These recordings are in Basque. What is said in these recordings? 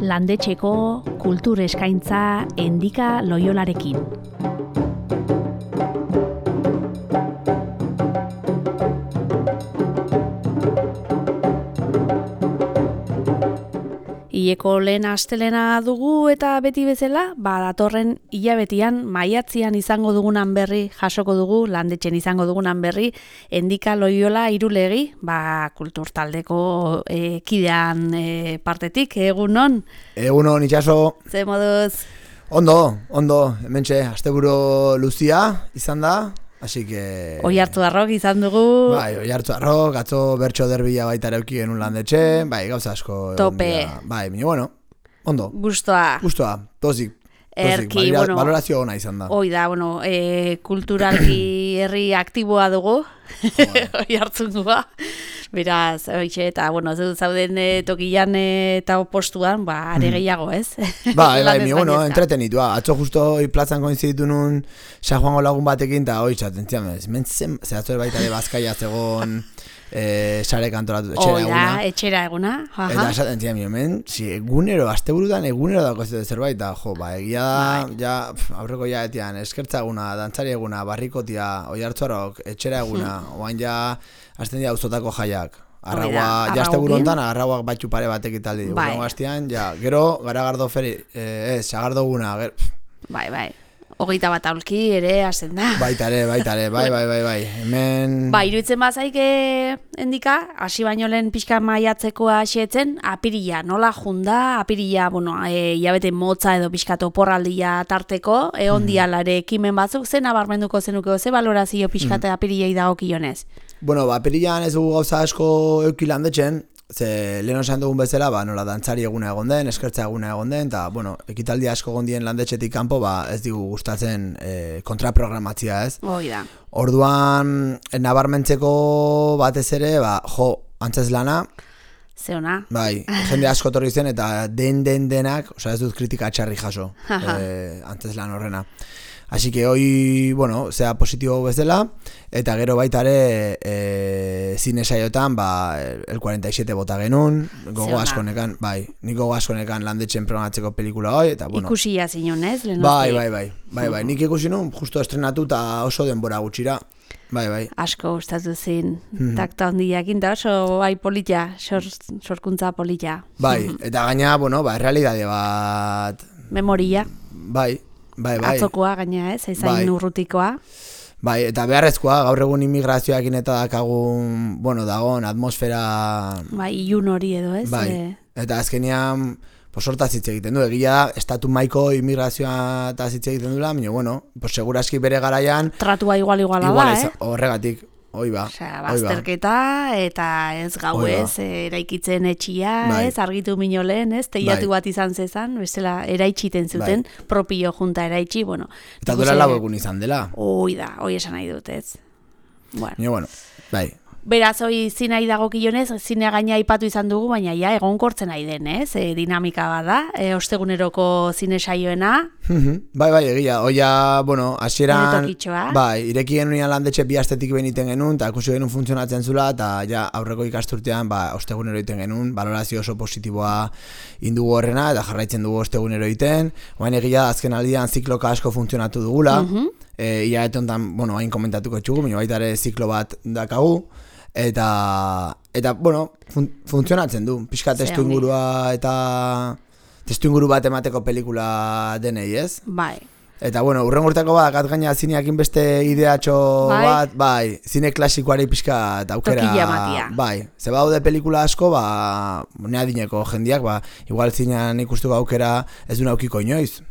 Landetxeko kultur eskaintza Endika Loiolarekin. Ileko lehen astelena dugu eta beti bezala, datorren hilabetean maiatzian izango dugunan berri jasoko dugu, landetxen izango dugunan berri, Endika Loiola Irulegi, kultur taldeko kidean partetik, egunon? Egunon, itxaso. Ze moduz? Ondo, hementxe, asteburu luzia izan da. Así que... Oiartzuarrok izan dugu. Bai, Oiartzuarrok, atzo bertso derbila baita ere euki genuen landetxe, gauza asko. Tope. Bai, bueno, ondo. Gustoa, tozik. Erki, valorazio ona izan da. Da, kulturalki herri aktiboa dugu, Oiartzungoa. Beraz, eta, zauden tokian eta postuan, are gehiago, ez? Bai, entretenitua. Atzo justo plazan koinziditu nun San Juango lagun batekin, eta hoi txaten, zehaztu baita de Bazkaia zegoen sare kantoratu, etxera eguna. Eta esaten zian, egunero, asteburutan egunero dako zerbait, eta egia da, aurreko etian, eskertza eguna, dantzari eguna, barrikotia, Oiartzuarrok, etxera eguna, oain azten dira auzotako jaiak. Arraua, asteburu hontan, arrauak batxu pare batek italdi. Gaztian, gero, garagardo feri, sagardo guna. Bai. 21 aulki ere hasten da. Baita ere, bai. Hemen... Iruditzen bazaik Endika, hasi baino lehen pixka maiatzeko hasietzen, apirila, nola junda, apirila, hilabete motza edo pixka toporraldia tarteko, egon dialare ekimen batzuk, zen abarmenduko zenuke, ze valorazio pixka apirilei dagokionez? Apirilan ez dugu gauza asko euki landetxen, ze lehen osan dugun bezala, nola dantzari eguna egon den, eskertza eguna egon den, eta, ekitaldi asko gondien landetxetik kanpo, ez digu gustatzen kontraprogramatzia, ez? Da. Orduan, nabarmentzeko batez ere, antzeslana. Zeona. Bai, jende asko torri zen, eta denak, ez dut kritika txarri jaso, antzeslan horrena. Así que hoy, sea positibo bezala, eta gero baita ere zine saiotan, el 47 bota genuen, gogo askonekan, nik gogo askonekan landetxen programatzeko pelikula hoi, eta ikusi jazinon, ez? Bai, nik ikusi nun, justo estrenatu eta oso denbora gutxira. Bai. Asko gustatu zin, takta hondiakin, eta oso polita, sorkuntza polita. Bai, eta gaina, realidade bat... Memoria. Bai. Atzokoa gaina, ez? Ezain urrutikoa. Bai, eta beharrezkoa, gaur egun immigrazioakin eta dakagun, dagoen atmosfera... Ilun hori edo, ez? Bai, eta azkenean, sortaz hitz egiten du, egia da, estatu maiko immigrazioa eta hitz egiten dula, baina, seguraski bere garaian... Tratua iguala da, horregatik. Bazterketa eta ez gauez eraikitzen etxia, ez argitu minolen, ez teiatu bat izan zezan, bestela eraitxiten zuten, propio junta eraitxi, Eta duela lau egun izan dela. Hoi esan nahi dut, ez. Bai. Beraz, hoi zinai dagokionez, zinea gaina aipatu izan dugu, baina egonkortzen nahi den, ez? Dinamika bada, osteguneroko zine saioena. Bai, egia. Oia, hasieran... ireki genuen landetxe bi astetik beniten genuen, eta ikusi genuen funtzionatzen zula, eta aurreko ikasturtean, ostegunero iten genuen, valorazio oso positiboa indugu horrena, eta jarraitzen dugu ostegunero iten. Oain egia, azken aldian zikloka asko funtzionatu dugula. Ia etontan, hain komentatuko txugu, baita ere ziklo bat dakagu. Eta funtzionatzen du. Pixka testu ingurua eta testu inguru bat emateko pelikula denei, ez? Bai. Eta, urren urteko badakat gaina zineakin beste ideatxo bat, zine klasikoari pixka eta aukera. Tokila matia. Bai, ze baude pelikula asko, nea dineko jendiak, igual zinean ikustuko aukera ez du naukiko inoiz.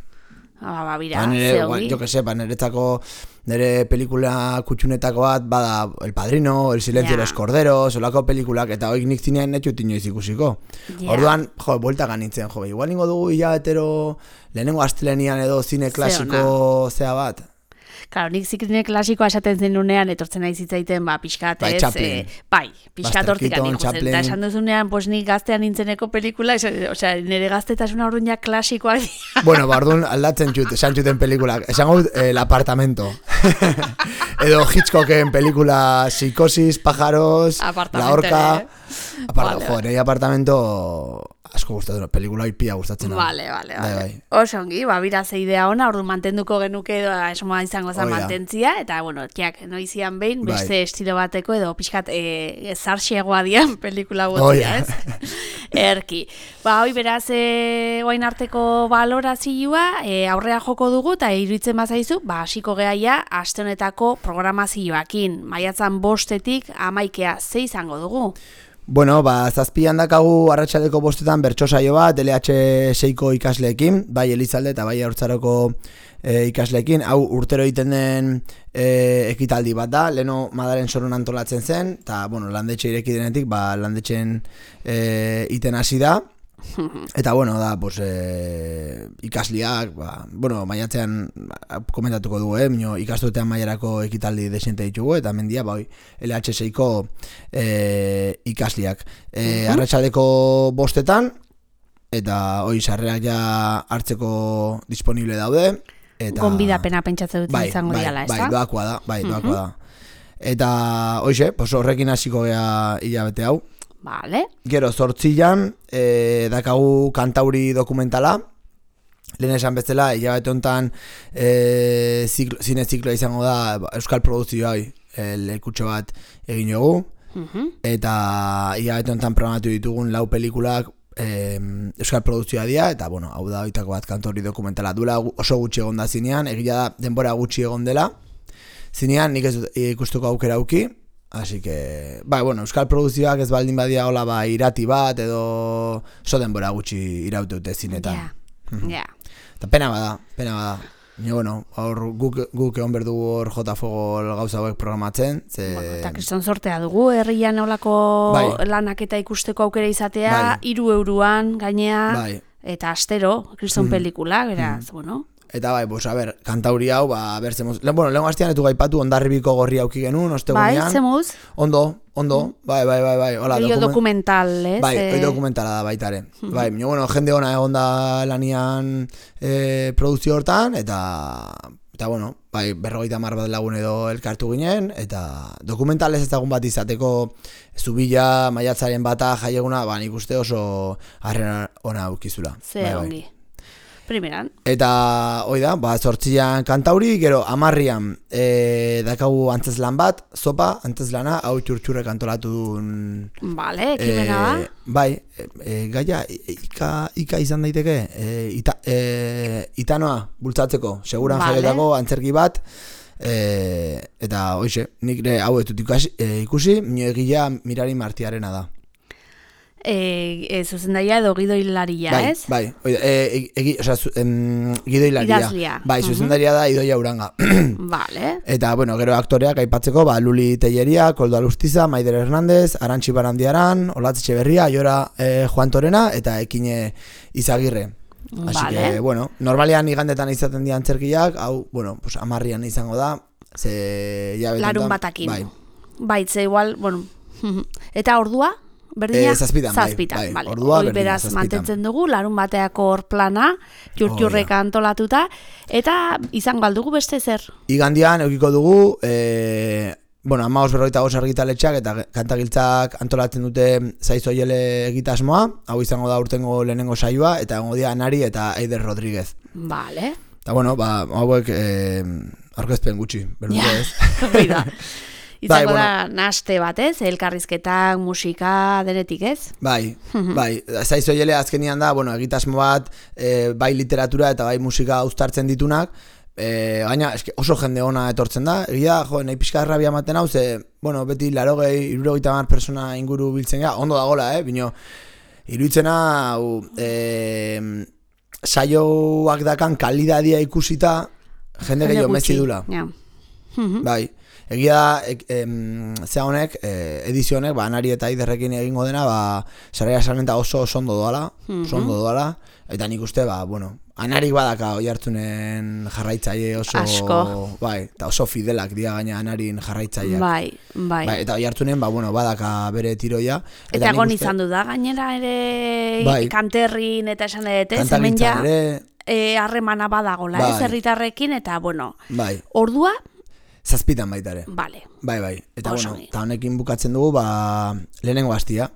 Bira, zehogi. Jo que sepa, nire pelikula kutxunetako bat, bada El Padrino, El Silencio de los Corderos, olako pelikulak, eta hoik nik zinean netxut inoiz ikusiko. Orduan, buelta ganitzen, igual ningo dugu hilabetero lehenengo astelenian edo zine klasiko zea bat. Claro, nik zikline klasikoa esaten zen nunean, etortzen nahi zitzaiten, pixkat, ez? Pixkat hortikan ikusten. Eta esan duzunean, nik gaztean nintzeneko pelikula, nire gaztetasuna orduan ja klasikoa. Orduan aldatzen esan txuten pelikulak. Esan gaut, El Apartamento. Edo Hitchcocken pelikula Psicosis, Pájaros, La Horca. Nire apartamento asko gustatzen, pelikula ipia gustatzen. Vale. Oso ongi, biraz idea ona, ordu mantenduko genuke edo esmoa izango zen mantentzia, eta, bueno, noizian behin, beste estilo bateko edo pixkat zarxeagoa dian pelikula botia, ez? Erki. Hoi beraz, oain arteko balorazioa, aurrea joko dugu, eta iruditzen bazaizu, hasiko gehaia, aste honetako programazioakin. Maiatzan 5etik 11 ze izango dugu? Bueno, zazpian dakagu arratsaldeko 5etan bertso saio bat, LH6ko ikasleekin, bai Elizalde eta bai Haurtzaroko ikasleekin. Hau urtero egiten den ekitaldi bat da, leheno Madaren Soron antolatzen zen, eta, bueno, landetxe ireki denetik, landetxen iten hasi da. Eta, bueno, da, ikasliak, maiatzean komentatuko dugu, ikasturtean maiarako ekitaldi desente ditugu, eta mendia, LH6ko ikasliak. Arratsaldeko 5etan, eta hoi sarrerak ja hartzeko disponible daude. Gonbidapena pentsatzen dut izango diala, ez da? Doakoa da. Eta, hoize, horrekin hasiko gea hilabete hau. Vale. Gero, 8an dakagu kantauri dokumentala. Lehen esan bezala, hilabete honetan zine zikloa izango da euskal produzioa lekutxo bat egin dugu. Eta hilabete honetan programatu ditugun 4 pelikulak euskal produzioa dira, eta, bueno, hau da oitako bat kantauri dokumentala. Duela oso gutxi egon da zinean, egia da denbora gutxi egon dela. Zinean nik ez ikustuko aukera auki. Así que, euskal produzioak ez baldin badia hola irati bat edo so denbora gutxi iraute dute zinetan. Eta pena bada. Guk egon berdu hor jota fogo gauza hauek programatzen. Eta kriston sortea dugu, herrian olako lanak eta ikusteko aukera izatea, 3 euroan gainea, eta astero, kriston pelikula, beraz, bueno. Eta kantauri hau, lehen hastian etu gaipatu Hondarribiko gorri auki genuen, ostegunean. Zemuz? Ondo, bai. Rio dokumental, ez? Oi dokumentala da baitare. Jende ona egon da lanian produzio hortan, eta 50 bat lagun edo elkartu ginen, eta dokumentalez ezagun bat izateko Zubila, maiatzaren bata, jaieguna, nik uste oso harrera ona aukizula. Ze ongi. Primeran. Eta, hoi da, 8an kantauri, gero 10an dakagu antzeslan bat, zopa, antzeslana, hau txurtxurrek antolatu duen... Vale, ekimena da? Gaia, ika izan daiteke, itanoa bultzatzeko, seguran jaietako antzerki bat, eta, hoize, nik hau ez dut ikusi, minio egila Mirari Martiarena da. Zuzendaria edo gidoilaria, ez? Gidoilaria. Idazlia. Zuzendaria da Idoia Uranga. Vale. Eta, gero aktoreak aipatzeko, Luli Telleria, Koldo Alustiza, Maider Hernandez, Arantxi Barandiaran, Olatz Etxeberria, Aiora Juan Torena, eta Ekine Izagirre. Así que, normalean igandetan izaten dira antzerkiak, hau, 10an izango da, larun batakin. Baitze, igual, eta ordua? Berdina? Zazpitan, vale. Hoi beraz mantentzen dugu, larun bateako hor plana, txurtxurrek antolatuta, eta izango aldugu beste zer? Igandian eukiko dugu, 15:45 argitaletxeak eta kantagiltzak antolatzen dute Zaizoiele egitasmoa, hau izango da urtengo lehenengo saioa, eta egongo dira Anari eta Eider Rodríguez. Vale. Eta hauek aurkezpen gutxi, berduko ez. Oida. Izango da naste bat, ez? Elkarrizketak, musika, denetik, ez? Bai. Zaizoiele azkenian da, egitasmo bat, bai literatura eta bai musika uztartzen ditunak, gaina oso jende ona etortzen da, egia, nahi pixka errabia ematen hau, beti 60-70 persona inguru biltzen gara, ondo dagoela, bino, iruditzena, saioak dakan kalidadia ikusita, jende gehiago mezi dula. Bai. Egia da, honek, edizio honek, Anari eta Aiderrekin egingo dena, Saraia Sarmenta oso ondo doala, eta nik uste, Anarik badaka oi hartzunen jarraitzaile oso... Asko. Bai, eta oso fidelak dira gaina Anarin jarraitzaileak. Bai. Eta oi hartzunen, badaka bere tiroia. Eta egon izan du da, gainera ere kanterrin eta esan dut, hemen ja harremana badagola, herritarrekin, eta, ordua... Zazpitan baitare. Vale. Bai. Eta, eta honekin bukatzen dugu, lehenengo hastia.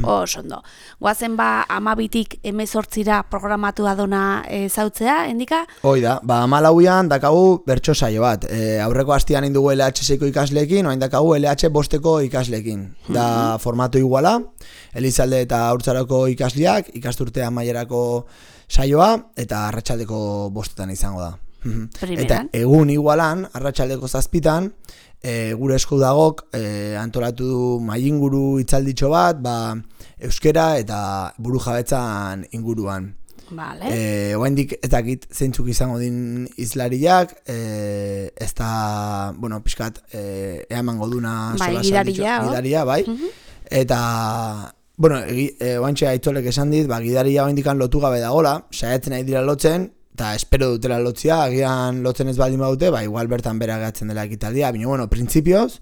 Osondo. Guazen 12tik 18ra programatua dona zautzea, endika? Hoi da, 14an dakagu bertso saio bat. Aurreko hastian indugu LH6ko ikasleekin, oain dakagu LH bosteko ikasleekin. Da formatu iguala, Elizalde eta Haurtzaroko ikasleak, ikasturte amaierako saioa, eta arratsaldeko bostetan izango da. Eta egun igualan, arratsaldeko 7 gure esku dagok antolatu du mailinguru hitzalditxo bat, euskera eta burujabetzan inguruan. Vale. Oraindik ez dakit zeintzuk izango din hizlariak, ez da, bueno, pixkat eamango duna gidaria, bai. Eta bueno, oraintxe Aitzolek esan dit, gidaria oraindikan lotu gabe dagola, saiatzen nahi dira lotzen, eta espero dutela lotzia, agian lotzen ez baldin badute, igual bertan bera gehatzen dela ekitaldia, baina, bueno, printzipioz,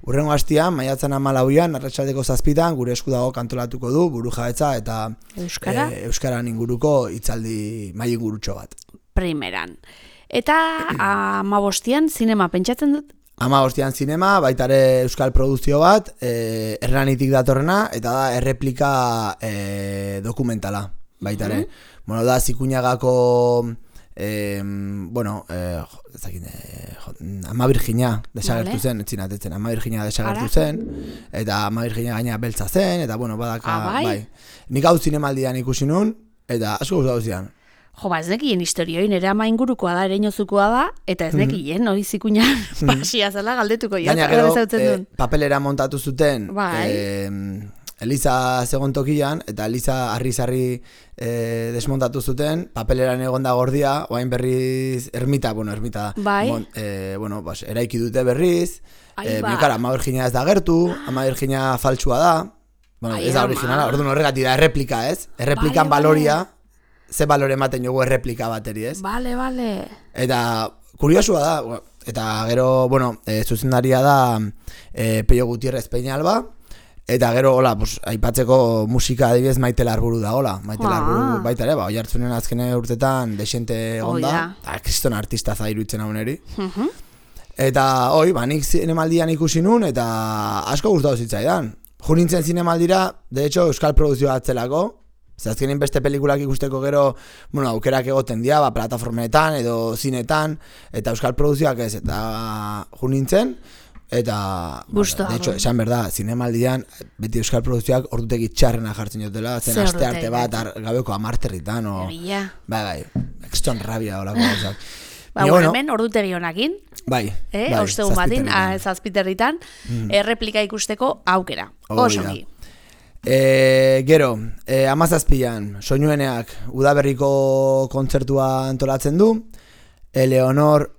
urrengo hastian, maiatzan 14an, arratsaldeko 7 gure esku dago kantolatuko du, burujabetza eta euskaran inguruko hitzaldi mailingurutxo bat. Primeran. Eta 15an zinema pentsatzen dut? 15an zinema, baita ere euskal produzio bat, Hernanitik datorrena, eta da erreplika dokumentala, baita ere. Bueno, da Zikuñagako Ama Virginia desagertu zen, etzinatetzen, Ama Virginia desagertu zen, eta Ama Virginia gaina beltza zen, eta bueno, badaka, bai. Nik hau zinemaldian ikusi nun, eta asko gustatu zidan. Jo, ez nekien historioi, nire ama ingurukoa da, ereinozukoa da, eta ez nekien, hori Zikuñan pasia zela galdetuko. Gaina gero, papelera montatu zuten, Eliza zegoen tokian, eta Eliza harri-zarri desmontatu zuten, papeleran egon da gordia, oain berriz ermita da. Bai. Eraiki dute berriz, miokara, Ama Virginia ez da gertu, Ama Virginia faltsua da, ez da originala, orduan horregatik da, erreplika, ez? Erreplikan baloria, ze balore ematen jogu erreplika bateri, ez? Bale. Eta kuriosua da, eta gero, zuzendaria da Peio Gutierrez Peñalba, eta gero, aipatzeko musika adibidez Maite Larburu da, Maite Larburu baita ere, Oiartzunen azkene urtetan desente egonda, eta kriston artista zairuitzen hau neri. Eta, nik zinemaldian ikusi nun, eta asko gustatu zitzaidan. Jo nintzen zinemaldira, de hecho, euskal produzioa atzelako, azkenin beste pelikulak ikusteko gero, aukerak egoten dira, plataformetan edo zinetan, eta euskal produzioak ez, eta jo nintzen, eta, de hecho, esan berda, zinemaldian, beti euskal produzioak ordutegi txarrena jartzen jotela, zen aste arte bat, gabeko 10 herritan, bai, ekston rabia olako gauzak. Hemen ordutegi honakin, haustegun batin, 7 herritan, erreplika ikusteko aukera, osongi. Gero, 17an, Soinueneak udaberriko kontzertua antolatzen du, Eleonor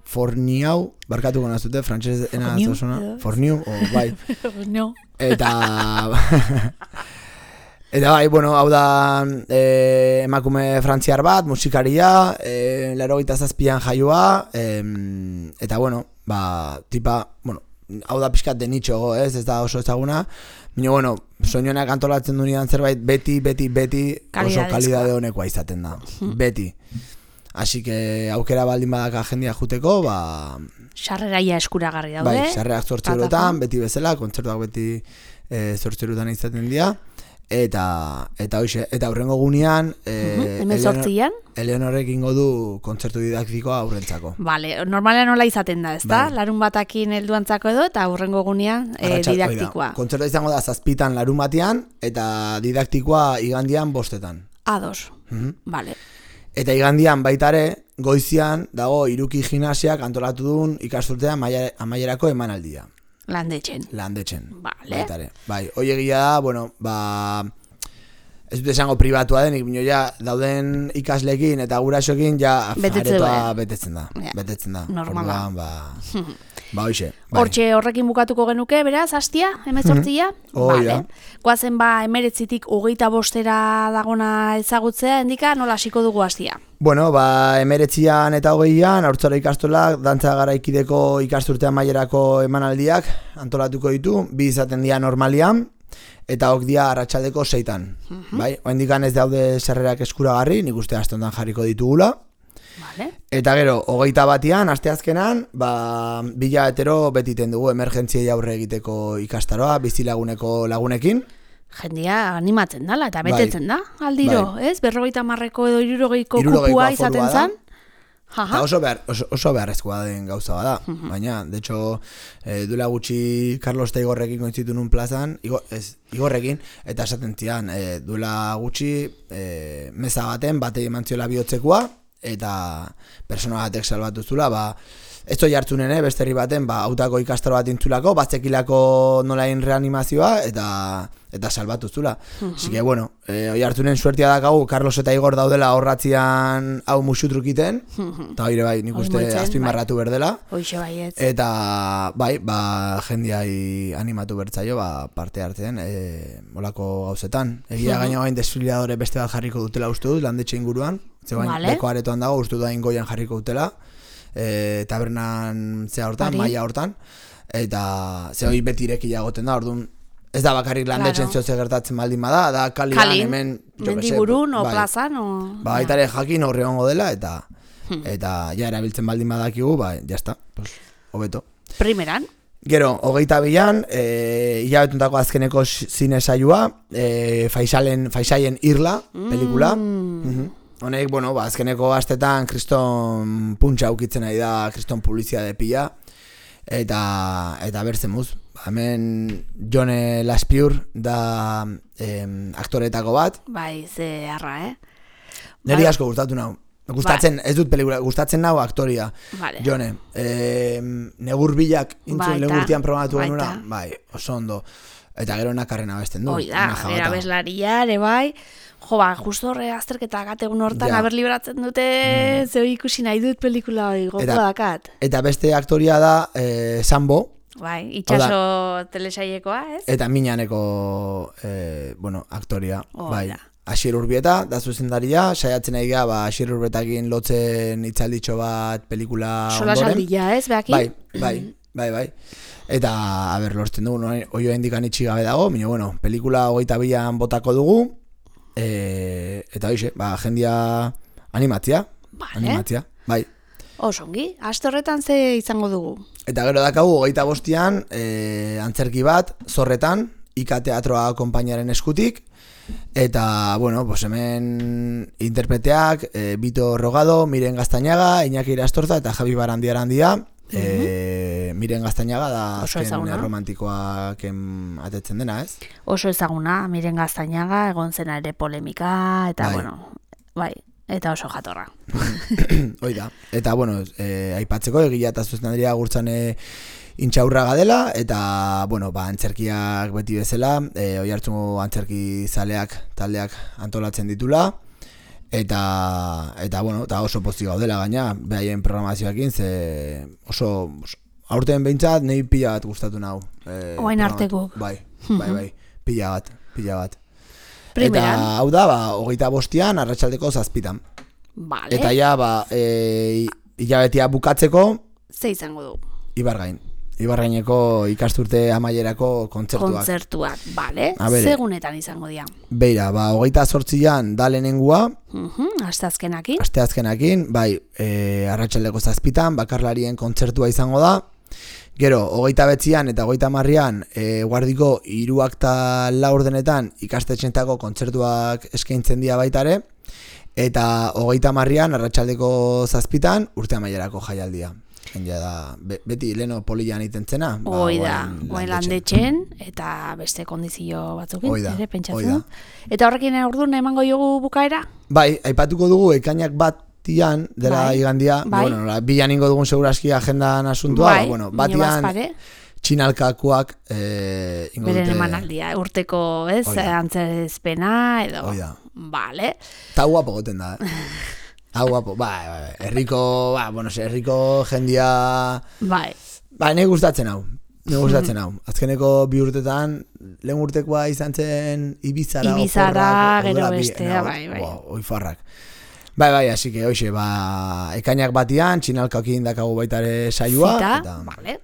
Forniau, barkatuko nazute, frantsesena zozona, Forniu, bai. Eta bai, hau da emakume frantziar bat, musikaria, 87an jaioa, eta tipa, hau da pixkat de nitxo, ez da oso ezaguna, baina, Soinuenak antolatzen dunean zerbait beti oso kalidade honekoa izaten da, beti. Así que aukera baldin badaka jendia juteko, sarreraia eskuragarri daude. Bai, sarrerak 8 eurotan, beti bezala, kontzertuak beti 8 eurotan izaten dira. Eta hoxe, eta aurrengo gunean, Eleonorek ingo du kontzertu didaktikoa aurrentzako. Vale, normalean nola izaten da, ezta? Larun batakin helduantzako edo, eta aurrengo gunean didaktikoa. Kontzertua izango da 7 larun batean, eta didaktikoa igandian 5. Ados, vale. Eta igandian baitare, goizian dago Iruki Gimnasiak antolatu duen ikasturtean amaierako emanaldia. Landetxen. Vale. Baitare. Bai, hoi egia da, ez dut esango pribatua denik, bino ja dauden ikaslekin eta gurasoekin ja aretoa betetzen da. Normala. Hoxe. Hortxe horrekin bukatuko genuke, beraz, hastia, 18a? Vale. Guazen 19tik 25era dagona ezagutzea, endika, nola hasiko dugu hastia? 19an eta 20an, Haurtzaro ikastolak, dantza garaikideko ikasturtean maierako emanaldiak antolatuko ditu, 2 izaten dira normalian, eta dia arratsaldeko 6an. Bai, oendikan ez daude sarrerak eskuragarri, nik uste asteontan jarriko ditugula. Vale. Eta gero, 21an, asteazkenan, 2 beti dugu emergentziei aurre egiteko ikastaroa, bizilaguneko lagunekin. jendia animatzen dala, eta betetzen da, aldiro, ez? 50ko edo 60ko kupua izaten zen. Eta oso beharrezkoa den gauza bada, baina, de hecho, duela gutxi Carlos eta Igorrekin kointzitu nun plazan, Igorrekin, eta esaten zian, duela gutxi meza baten, batei eman ziola bihotzekoa, eta persona batek salbatu zula, ez toi hartzunen, beste herri baten, autako ikastaro bat intzulako, batzekilako nolain reanimazioa, eta salbatu zula. Así que, bueno, oi hartzunen suertia dakagu, Carlos eta Igor daudela horratzian hau musutrukiten, eta bai, nik uste azpimarratu berdela. Hoixe baietz. Eta, bai, jendiai animatu bertzaio, parte hartzen, olako gauzetan. Egia gaina gain desfiladore beste bat jarriko dutela uste dut, landetxe inguruan, zegoen beko aretoan dago, uste duain goian jarriko dutela. Tabernan zea hortan, maia hortan, eta ze hori beti irekia goten da, orduan ez da bakarrik landetxen zehotze gertatzen baldin bada, da kalian hemen mendiburun o plazan baitare jakin horri hongo dela, eta ja erabiltzen baldin badakigu, jazta, hobeto. Primeran? Gero, 22an, hilabetuntako azkeneko zine saioa, Faisaien Irla, pelikula. Honek, azkeneko astetan kriston puntxa ukitzen nahi da, kriston publizia de pila, eta bertzen muz. Hemen Jone Laspiur da aktoretako bat. Bai, ze harra, Neri asko gustatu nau. Gustatzen, ez dut pelikula, gustatzen nau aktoria. Jone, negur bilak intzun legurtian programatu genura, bai, oso ondo. Eta gero nakarrena besten du. Oida, gero abeslaria, ere bai. Jo, justo horre azterketa gategun hortan, haber liberatzen dute, zeo ikusi nahi dut pelikula hori, goko dakat. Eta beste aktoria da Sambo. Bai, itxaso telesailekoa, ez? Eta Minaneko, aktoria. Bai, Asier Urbieta, da zuzendaria, saiatzen nahi gara, Asier Urbietakin lotzen itzalditxo bat pelikula ondoren. Sola saldia, ez, behaki? Bai. Eta, lortzen dugu, oio indikan itxigabe dago, minio, pelikula 22an botako dugu, eta hoxe, jendia animatzia, bai. Osongi, aste horretan ze izango dugu? Eta gero dakagu, 25an, antzerki bat, Zorretan, Ika Teatroa konpainiaren eskutik, eta, hemen interpreteak, Bito Rogado, Miren Gaztañaga, Iñaki Irastorza eta Javi Barandia, Miren Gaztañaga da azken romantikoak atetzen dena, ez? Oso ezaguna, Miren Gaztañaga, egon zena ere polemika, eta bai, eta oso jatorra. Oida, eta aipatzeko egila eta zuzendaria gurtzan intxaurraga dela, eta antzerkiak beti bezala, oi hartzungo antzerki zaleak taldeak antolatzen ditula, eta oso pozik gaudela gaina, behaien programazioakin, ze oso aurten behintzat nahi pila bat gustatu nahu. Oain artekuk. Bai, pila bat. Primeran. Eta hau da, 25an, arratsaldeko 7:00. Vale. Eta ja, hilabetia bukatzeko, ze izango du? Ibargaineko ikasturte amaierako kontzertuak, bale? Segunetan izango dira? Beira, 28an da lehenengua. Asteazkenakin, bai, arratsaldeko 7:00 bakarlarien kontzertua izango da. Gero, 29an eta 30an guardiko 3 eta 4 ordenetan ikastetxentako kontzertuak eskaintzen dira baitare. Eta 30an arratsaldeko 7:00 urte amaierako jaialdia. Jendia da, beti leno polian itentzena. Oida, landetxen, eta beste kondizio batzukin, ere pentsatzen. Eta horrekin orduan emango jogu bukaera? Bai, aipatuko dugu ekainak batian, dela igandia, bilan ingo dugun seguraski agendan asuntua, batian txinalkakoak ingo dute. Beren emanaldia, urteko, ez, antzerezpena, edo. Oida. Vale. Ta guapo goten da, guapo, herriko jendia... Bai, nahi gustatzen hau. Azkeneko 2 urtetan, lehen urtekoa izan zen Ibizara, gero bestea, bai. Oifarrak. Bai, así que, hoxe, ekainak batian, txinalkakin dakagu baitare saioa. Zita, vale.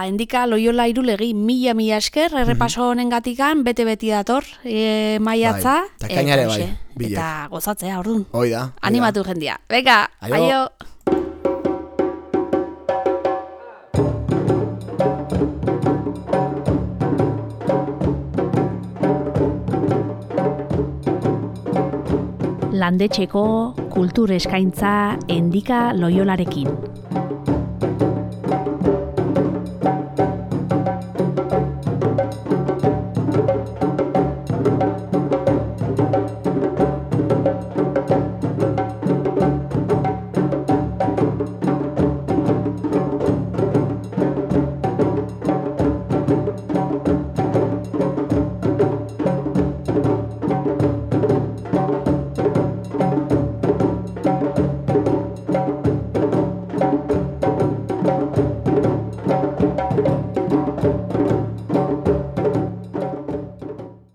Endika Loiola Irulegi, mila esker, errepaso honen gatikan, bete-beti dator, maiatza. Eta kainare bai. Eta gozatzea, orduan. Oida. Animatu jendia. Beka, aio. landetxeko kultur eskaintza Endika Loiolarekin.